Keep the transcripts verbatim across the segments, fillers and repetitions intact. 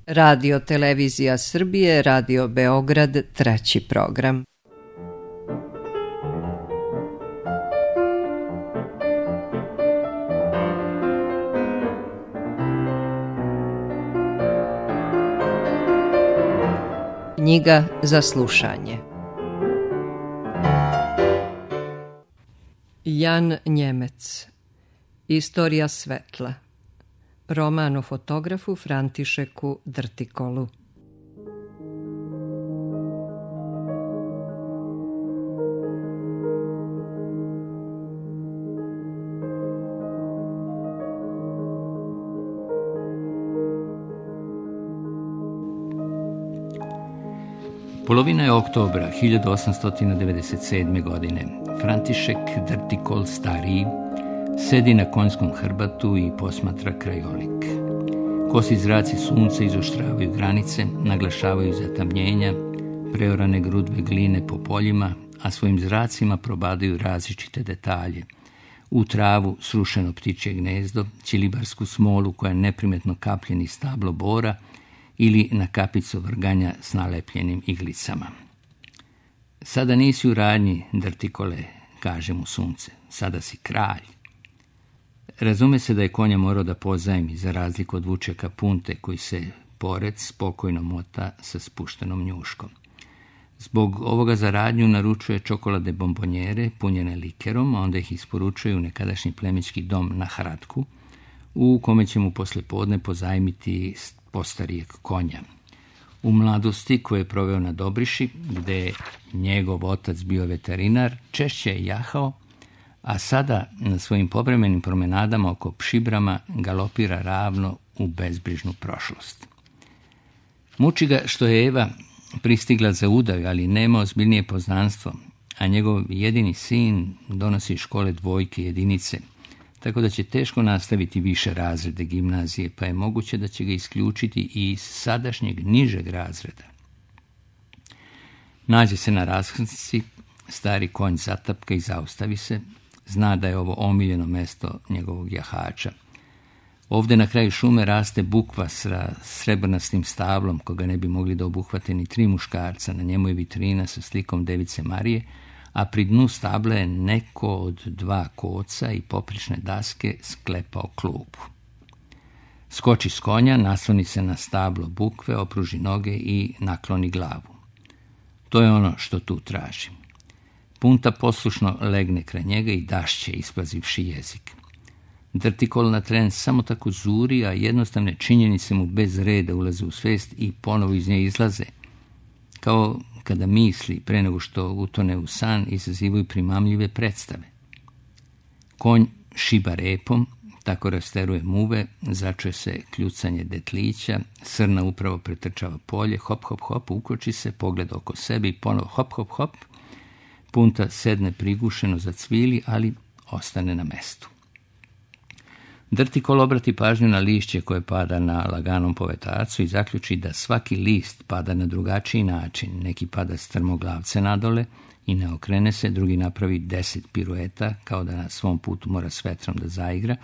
Radio Televizija Srbije, Radio Beograd, treći program. Knjiga za slušanje. Jan Njemec. Istorija svetla. Roman o fotografu Františeku Drtikolu. Polovina je oktobra hiljadu osamsto devedeset sedme. godine. František Drtikol stariji sedi na konjskom hrbatu i posmatra krajolik. Kosi zraci sunca izoštravaju granice, naglašavaju zatamnjenja, preorane grudve gline po poljima, a svojim zracima probadaju različite detalje. U travu srušeno ptičje gnezdo, ćilibarsku smolu koja neprimetno kaplje niz stablo bora ili na kapicu vrganja s nalepljenim iglicama. Sada nisi u radnji, Drtikole, kaže mu sunce, sada si kralj. Razume se da je konja morao da pozajmi, za razliku od vučeka Punte koji se pored spokojno mota sa spuštenom njuškom. Zbog ovoga za radnju naručuje čokolade bombonjere punjene likerom, a onda ih isporučuje u nekadašnji plemićki dom na Hradku, u kome će mu poslijepodne pozajmiti postarijeg konja. U mladosti koje je proveo na Dobriši, gde je njegov otac bio veterinar, češće je jahao, a sada na svojim povremenim promenadama oko Pšibrama galopira ravno u bezbrižnu prošlost. Muči ga što je Eva pristigla za udaju, ali nema ozbiljnije poznanstvo, a njegov jedini sin donosi iz škole dvojke jedinice, tako da će teško nastaviti više razrede gimnazije, pa je moguće da će ga isključiti i iz sadašnjeg nižeg razreda. Nađe se na raskrsnici, stari konj zatapka i zaustavi se, zna da je ovo omiljeno mesto njegovog jahača. Ovdje na kraju šume raste bukva sa srebrnastim stablom, koga ne bi mogli da obuhvate ni tri muškarca. Na njemu je vitrina sa slikom Device Marije, a pri dnu stabla je neko od dva koca i poprične daske sklepao klupu. Skoči s konja, nasloni se na stablo bukve, opruži noge i nakloni glavu. To je ono što tu traži. Punta poslušno legne kraj njega i dašće, isplazivši jezik. Drtikol na tren samo tako zuri, a jednostavne činjenice mu bez reda ulaze u svest i ponovo iz nje izlaze. Kao kada misli, pre nego što utone u san, izazivaju primamljive predstave. Konj šiba repom, tako rasteruje muve, začuje se kljucanje detlića, srna upravo pretrčava polje, hop, hop, hop, ukoči se, pogleda oko sebe i ponovo hop, hop, hop. Punta sedne prigušeno za cvili, ali ostane na mestu. Drtikol obrati pažnju na lišće koje pada na laganom povetarcu i zaključi da svaki list pada na drugačiji način. Neki pada strmoglavce nadole i ne okrene se, drugi napravi deset pirueta, kao da na svom putu mora s vetrom da zaigra,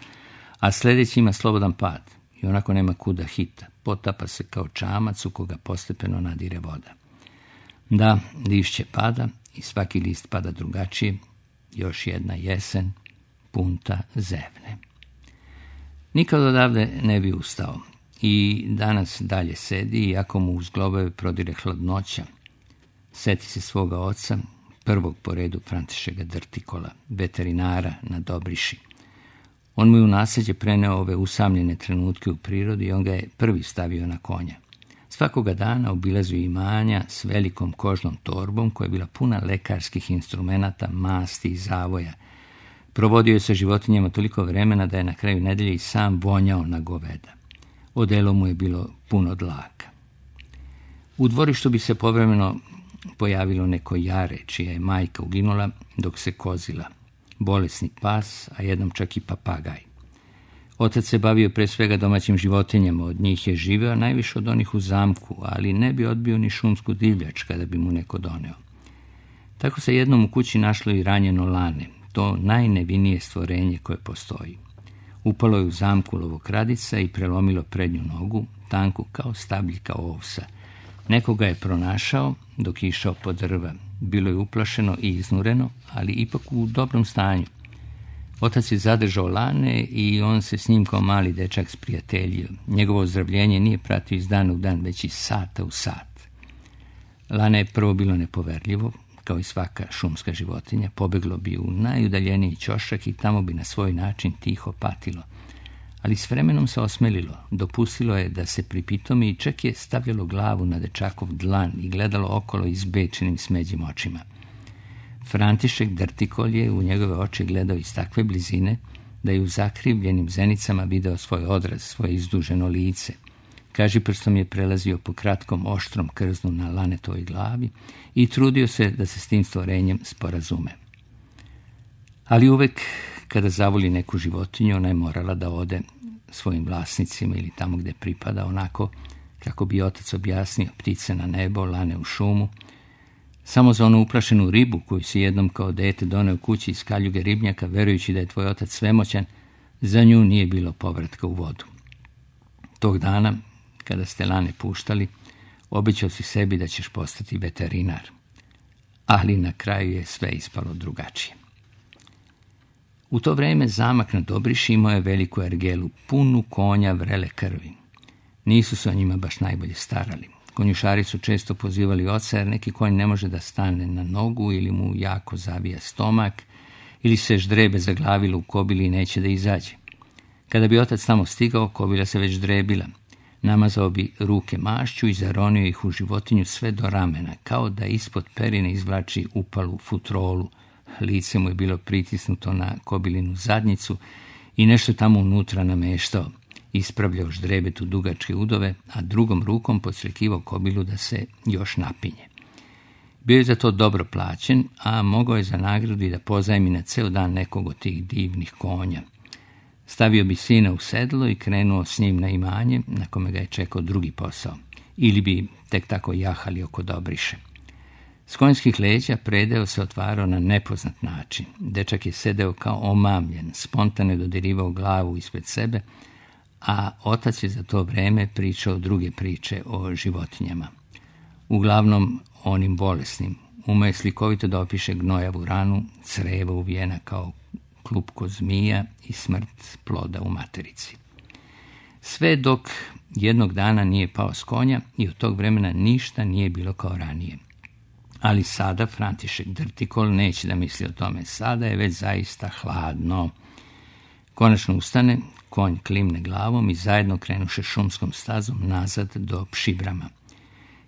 a sljedeći ima slobodan pad i onako nema kuda hita. Potapa se kao čamac u koga postepeno nadire voda. Da, lišće pada i svaki list pada drugačije. Još jedna jesen, Punta zevne. Nikad odavde ne bi ustao i danas dalje sedi, iako mu uz globove prodire hladnoća. Seti se svoga oca, prvog po redu Františeka Drtikola, veterinara na Dobriši. On mu je u nasljeđe preneo ove usamljene trenutke u prirodi i on ga je prvi stavio na konja. Svakoga dana obilazio imanja s velikom kožnom torbom koja je bila puna lekarskih instrumenata, masti i zavoja. Provodio je sa životinjama toliko vremena da je na kraju nedelje i sam vonjao na goveda. Odelo mu je bilo puno dlaka. U dvorištu bi se povremeno pojavilo neko jare, čija je majka uginula dok se kozila. Bolesni pas, a jednom čak i papagaj. Otac se bavio pre svega domaćim životinjama, od njih je živeo najviše od onih u zamku, ali ne bi odbio ni šumsku divljač kada bi mu neko doneo. Tako se jednom u kući našlo i ranjeno lane, to najnevinije stvorenje koje postoji. Upalo je u zamku lovokradica i prelomilo prednju nogu, tanku kao stabljika ovsa. Nekoga je pronašao dok je išao po drva. Bilo je uplašeno i iznureno, ali ipak u dobrom stanju. Otac je zadržao Lane i on se s njim kao mali dečak sprijateljio. Njegovo ozdravljenje nije pratio iz dana u dan, već iz sata u sat. Lane je prvo bilo nepoverljivo, kao i svaka šumska životinja. Pobeglo bi u najudaljeniji ćošak i tamo bi na svoj način tiho patilo. Ali s vremenom se osmelilo, dopustilo je da se pripitomi i čak je stavljalo glavu na dečakov dlan i gledalo okolo izbečenim smeđim očima. František Drtikol je u njegove oči gledao iz takve blizine da je u zakrivljenim zenicama video svoj odraz, svoje izduženo lice. Kažiprstom je prelazio po kratkom oštrom krznu na Lanetovoj glavi i trudio se da se s tim stvorenjem sporazume. Ali uvek kada zavoli neku životinju, ona je morala da ode svojim vlasnicima ili tamo gde pripada, onako kako bi otac objasnio, ptice na nebo, lane u šumu. Samo za onu uplašenu ribu koju si jednom kao dete doneo kući iz kaljuge ribnjaka, verujući da je tvoj otac svemoćan, za nju nije bilo povratka u vodu. Tog dana, kada ste Lane puštali, obećao si sebi da ćeš postati veterinar. Ali na kraju je sve ispalo drugačije. U to vreme zamak na Dobriši imao je veliku ergelu, punu konja vrele krvi. Nisu se o njima baš najbolje starali. Konjušari su često pozivali oca, jer neki konj ne može da stane na nogu ili mu jako zavija stomak, ili se ždrebe zaglavilo u kobili i neće da izađe. Kada bi otac tamo stigao, kobila se već ždrebila. Namazao bi ruke mašću i zaronio ih u životinju sve do ramena, kao da ispod perine izvlači upalu futrolu. Lice mu je bilo pritisnuto na kobilinu zadnjicu i nešto tamo unutra nameštao. Ispravljao ždrebetu dugačke udove, a drugom rukom podsrekivao kobilu da se još napinje. Bio je za to dobro plaćen, a mogao je za nagradu i da pozajmi na ceo dan nekog od tih divnih konja. Stavio bi sina u sedlo i krenuo s njim na imanje, na kome ga je čekao drugi posao. Ili bi tek tako jahali oko Dobriše. S konjskih leđa predeo se otvarao na nepoznat način. Dečak je sedeo kao omamljen, spontano je dodirivao glavu ispred sebe, a otac je za to vreme pričao druge priče o životinjama. Uglavnom onim bolesnim. Umeo je slikovito da opiše gnojavu ranu, creva uvijena kao klupko zmija i smrt ploda u materici. Sve dok jednog dana nije pao s konja i od tog vremena ništa nije bilo kao ranije. Ali sada František Drtikol neće da misli o tome. Sada je već zaista hladno. Konačno ustane, konj klimne glavom i zajedno krenuše šumskom stazom nazad do Pšibrama.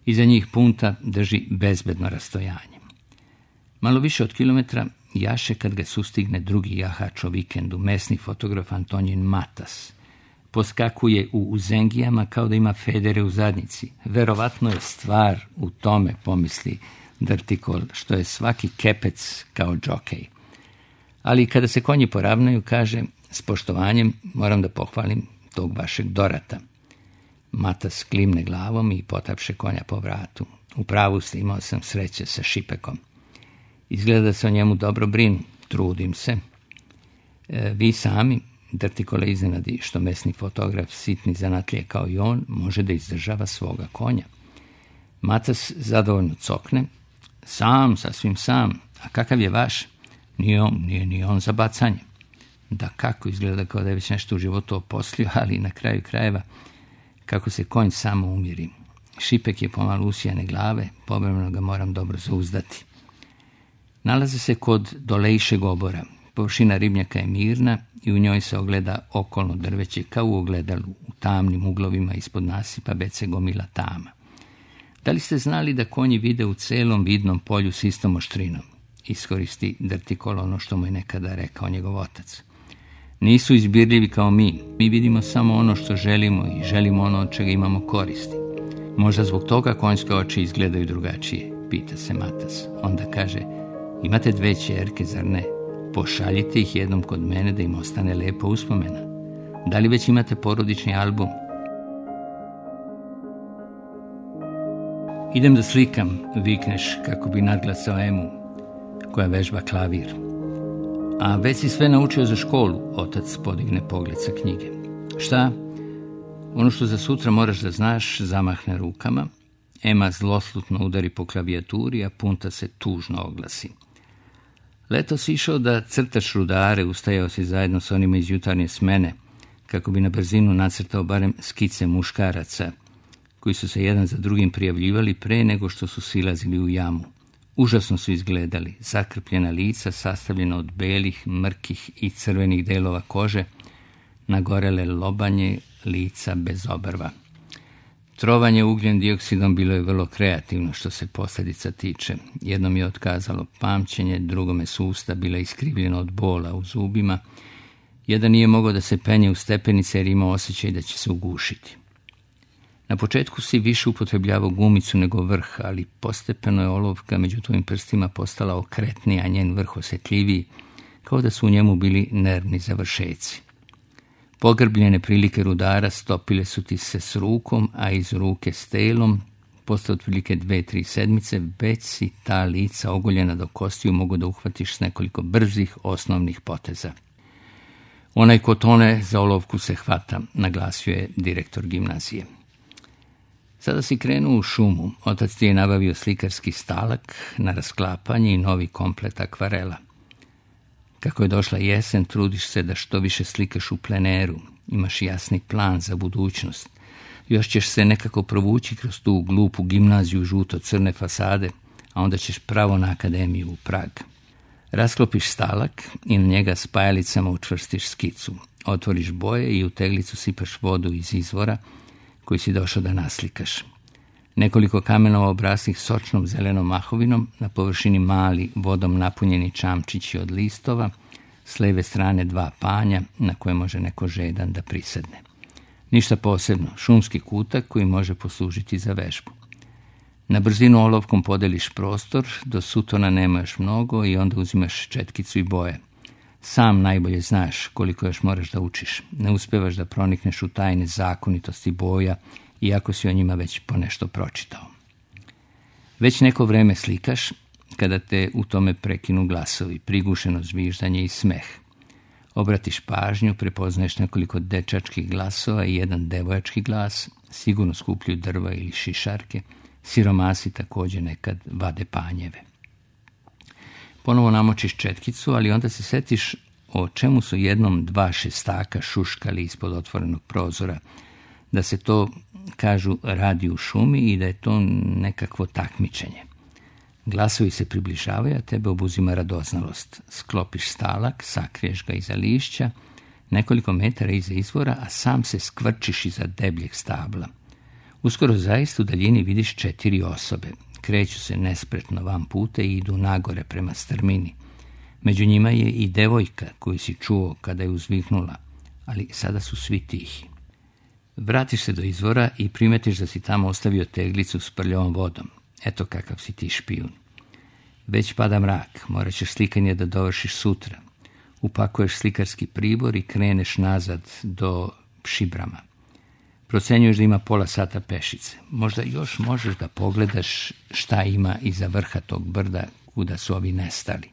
Iza njih punta drži bezbedno rastojanje. Malo više od kilometra jaše kad ga sustigne drugi jahač o vikendu, mesni fotograf Antonijin Matas. Poskakuje u uzengijama kao da ima federe u zadnjici. Verovatno je stvar u tome, pomisli Drtikol, što je svaki kepec kao džokej. Ali kada se konji poravnaju, kaže, s poštovanjem moram da pohvalim tog vašeg Dorata. Matas klimne glavom i potapše konja po vratu. U pravu ste, imao sam sreće sa Šipekom. Izgleda da se o njemu dobro brinu. Trudim se. E, vi sami, Drtikole iznenadi što mesni fotograf, sitni zanatlije kao i on, može da izdržava svoga konja. Matas zadovoljno cokne. Sam, sasvim sam. A kakav je vaš? Nije on, nije ni on za bacanje. Da kako, izgleda kao da je već nešto u životu oposlio, ali na kraju krajeva kako se konj samo umiri. Šipek je pomalo usijane glave, povremeno ga moram dobro zauzdati. Nalaze se kod Dolejšeg obora. Površina ribnjaka je mirna i u njoj se ogleda okolno drveće kao u ogledalu. U tamnim uglovima ispod nasipa bece gomila tama. Da li ste znali da konji vide u celom vidnom polju s istom oštrinom? Iskoristi Drtikol ono što mu je nekada rekao njegov otac. Nisu izbirljivi kao mi. Mi vidimo samo ono što želimo i želimo ono od čega imamo koristi. Možda zbog toga konjske oči izgledaju drugačije, pita se Matas. Onda kaže, imate dve ćerke, zar ne? Pošaljite ih jednom kod mene da im ostane lepa uspomena. Da li već imate porodični album? Idem da slikam, vikneš kako bi nadglasao Emu, koja vežba klavir. A već si sve naučio za školu, otac podigne pogled sa knjige. Šta? Ono što za sutra moraš da znaš, zamahne rukama. Ema zloslutno udari po klavijaturi, a Punta se tužno oglasi. Leto si išao da crtaš rudare, ustajao si zajedno s onima iz jutarnje smene, kako bi na brzinu nacrtao barem skice muškaraca, koji su se jedan za drugim prijavljivali pre nego što su silazili u jamu. Užasno su izgledali, zakrpljena lica sastavljena od belih, mrkih i crvenih delova kože, nagorele lobanje lica bez obrva. Trovanje ugljen dioksidom bilo je vrlo kreativno što se posljedica tiče. Jednom je otkazalo pamćenje, drugome su usta bila iskrivljena od bola u zubima. Jedan nije mogao da se penje u stepenice jer imao osjećaj da će se ugušiti. Na početku si više upotrebljavao gumicu nego vrh, ali postepeno je olovka među tvojim prstima postala okretnija, a njen vrh osjetljiviji, kao da su u njemu bili nervni završeci. Pogrbljene prilike rudara stopile su ti se s rukom, a iz ruke s telom, posle otprilike dve, tri sedmice, već si ta lica ogoljena do kostiju mogu da uhvatiš s nekoliko brzih osnovnih poteza. Onaj ko tone za olovku se hvata, naglasio je direktor gimnazije. Sada si krenuo u šumu, otac ti je nabavio slikarski stalak na rasklapanje i novi komplet akvarela. Kako je došla jesen, trudiš se da što više slikaš u pleneru, imaš jasni plan za budućnost. Još ćeš se nekako provući kroz tu glupu gimnaziju žuto-crne fasade, a onda ćeš pravo na akademiju u Prag. Rasklopiš stalak i na njega spajalicama učvrstiš skicu. Otvoriš boje i u teglicu sipaš vodu iz izvora koji si došao da naslikaš. Nekoliko kamenova obraslih sočnom zelenom mahovinom, na površini mali vodom napunjeni čamčići od listova, s leve strane dva panja na koje može neko žedan da prisedne. Ništa posebno, šumski kutak koji može poslužiti za vežbu. Na brzinu olovkom podeliš prostor, do sutona nema još mnogo i onda uzimaš četkicu i boje. Sam najbolje znaš koliko još moraš da učiš. Ne uspevaš da pronikneš u tajne zakonitosti boja, iako si o njima već ponešto pročitao. Već neko vreme slikaš, kada te u tome prekinu glasovi, prigušeno zviždanje i smeh. Obratiš pažnju, prepoznaješ nekoliko dečačkih glasova i jedan devojački glas, sigurno skupljuju drva ili šišarke, siromasi također nekad vade panjeve. Ponovo namočiš četkicu, ali onda se setiš o čemu su jednom dva šestaka šuškali ispod otvorenog prozora, da se to, kažu, radi u šumi i da je to nekakvo takmičenje. Glasovi se približavaju, a tebe obuzima radoznalost. Sklopiš stalak, sakriješ ga iza lišća, nekoliko metara iza izvora, a sam se skvrčiš iza debljeg stabla. Uskoro zaista u daljini vidiš četiri osobe. Kreću se nespretno van puta i idu nagore prema strmini. Među njima je i devojka koju si čuo kada je uzviknula, ali sada su svi tihi. Vratiš se do izvora i primetiš da si tamo ostavio teglicu s prljavom vodom. Eto kakav si ti špijun. Već pada mrak, morat ćeš slikanje da dovršiš sutra. Upakuješ slikarski pribor i kreneš nazad do Šibrama. Procenjuješ da ima pola sata pešice. Možda još možeš da pogledaš šta ima iza vrha tog brda kuda su ovi nestali.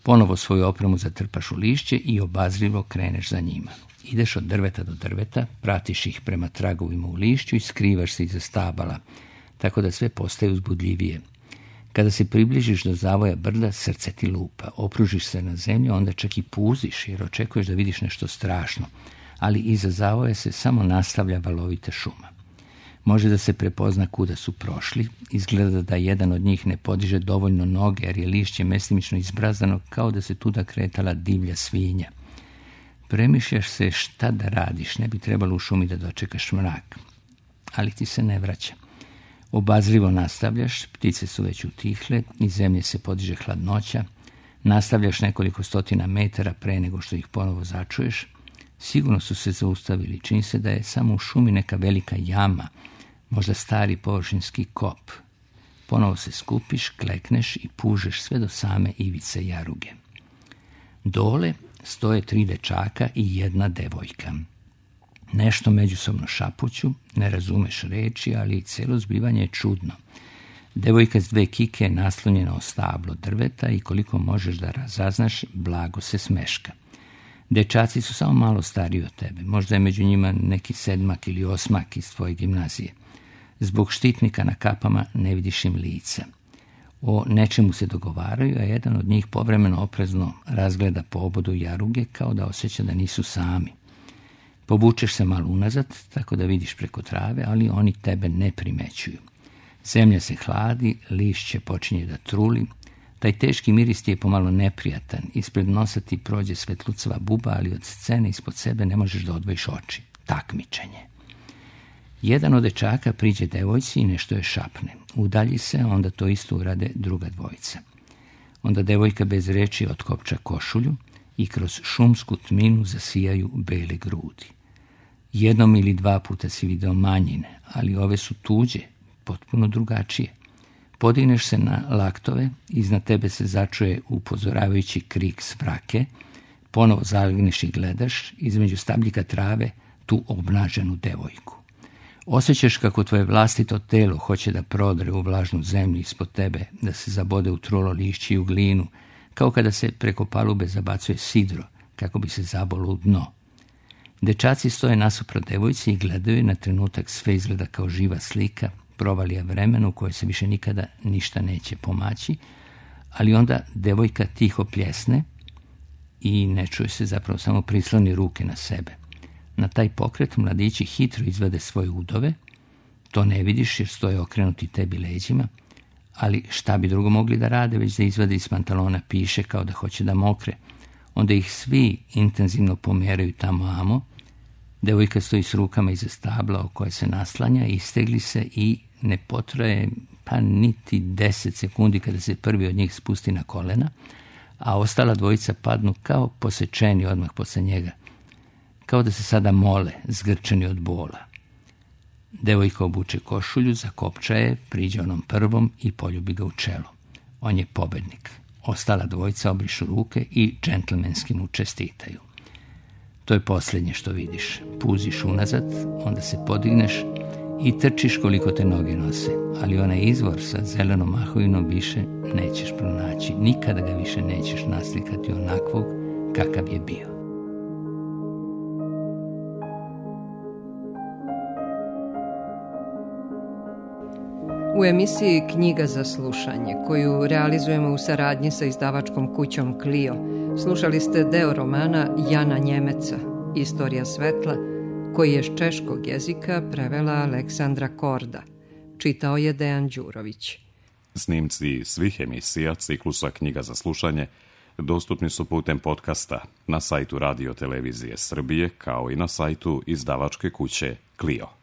Ponovo svoju opremu zatrpaš u lišće i obazrivo kreneš za njima. Ideš od drveta do drveta, pratiš ih prema tragovima u lišću i skrivaš se iza stabala, tako da sve postaje uzbudljivije. Kada se približiš do zavoja brda, srce ti lupa. Opružiš se na zemlju, onda čak i puziš jer očekuješ da vidiš nešto strašno, ali iza zavoja se samo nastavlja valovita šuma. Može da se prepozna kuda su prošli, izgleda da jedan od njih ne podiže dovoljno noge jer je lišće mestimično izbrazdano kao da se tuda kretala divlja svinja. Premišljaš se šta da radiš, ne bi trebalo u šumi da dočekaš mrak, ali ti se ne vraća. Obazrivo nastavljaš, ptice su već utihle, iz zemlje se podiže hladnoća, nastavljaš nekoliko stotina metara pre nego što ih ponovo začuješ. Sigurno su se zaustavili, čini se da je samo u šumi neka velika jama, možda stari površinski kop. Ponovo se skupiš, klekneš i pužeš sve do same ivice jaruge. Dole stoje tri dečaka i jedna devojka. Nešto međusobno šapuću, ne razumeš reči, ali celo zbivanje je čudno. Devojka s dve kike je naslonjena o stablo drveta i koliko možeš da razaznaš, blago se smeška. Dečaci su samo malo stariji od tebe, možda je među njima neki sedmak ili osmak iz tvoje gimnazije. Zbog štitnika na kapama ne vidiš im lica. O nečemu se dogovaraju, a jedan od njih povremeno oprezno razgleda po obodu jaruge kao da osjeća da nisu sami. Povučeš se malo unazad, tako da vidiš preko trave, ali oni tebe ne primećuju. Zemlja se hladi, lišće počinje da truli. Taj teški miris ti je pomalo neprijatan. Ispred nosa ti prođe svetlucava buba, ali od scene ispod sebe ne možeš da odvojiš oči. Takmičenje. Jedan od dečaka priđe devojci i nešto je šapne. Udalji se, onda to isto urade druga dvojica. Onda devojka bez reči otkopča košulju i kroz šumsku tminu zasijaju bele grudi. Jednom ili dva puta si video manjine, ali ove su tuđe, potpuno drugačije. Podigneš se na laktove, iznad tebe se začuje upozoravajući krik s vrake, ponovo zalegneš i gledaš, između stabljika trave, tu obnaženu devojku. Osjećaš kako tvoje vlastito telo hoće da prodre u vlažnu zemlju ispod tebe, da se zabode u trulo lišće i u glinu, kao kada se preko palube zabacuje sidro, kako bi se zabolo u dno. Dečaci stoje nasuprot devojci i gledaju, na trenutak sve izgleda kao živa slika, provalija vremena u kojoj se više nikada ništa neće pomaći, ali onda devojka tiho pljesne i ne čuje se, zapravo samo prisloni ruke na sebe. Na taj pokret mladići hitro izvade svoje udove, to ne vidiš jer stoje okrenuti tebi leđima, ali šta bi drugo mogli da rade, već da izvade iz pantalona piše kao da hoće da mokre. Onda ih svi intenzivno pomeraju tamo amo. Devojka stoji s rukama iza stabla o koje se naslanja, istegli se i ne potraje pa niti deset sekundi kada se prvi od njih spusti na kolena, a ostala dvojica padnu kao posečeni odmah posle njega, kao da se sada mole, zgrčeni od bola. Devojka obuče košulju, zakopča je, priđe onom prvom i poljubi ga u čelo. On je pobednik. Ostala dvojica obrišu ruke i džentlmenski mu čestitaju. To je posljednje što vidiš. Puziš unazad, onda se podigneš i trčiš koliko te noge nose, ali onaj izvor sa zelenom mahovinom više nećeš pronaći. Nikada ga više nećeš naslikati onakvog kakav je bio. U emisiji Knjiga za slušanje, koju realizujemo u saradnji sa izdavačkom kućom Clio, slušali ste deo romana Jana Njemeca, Istorija svetla, koji je s češkog jezika prevela Aleksandra Korda. Čitao je Dejan Đurović. Snimci svih emisija ciklusa Knjiga za slušanje dostupni su putem podcasta na sajtu Radio Televizije Srbije, kao i na sajtu izdavačke kuće Clio.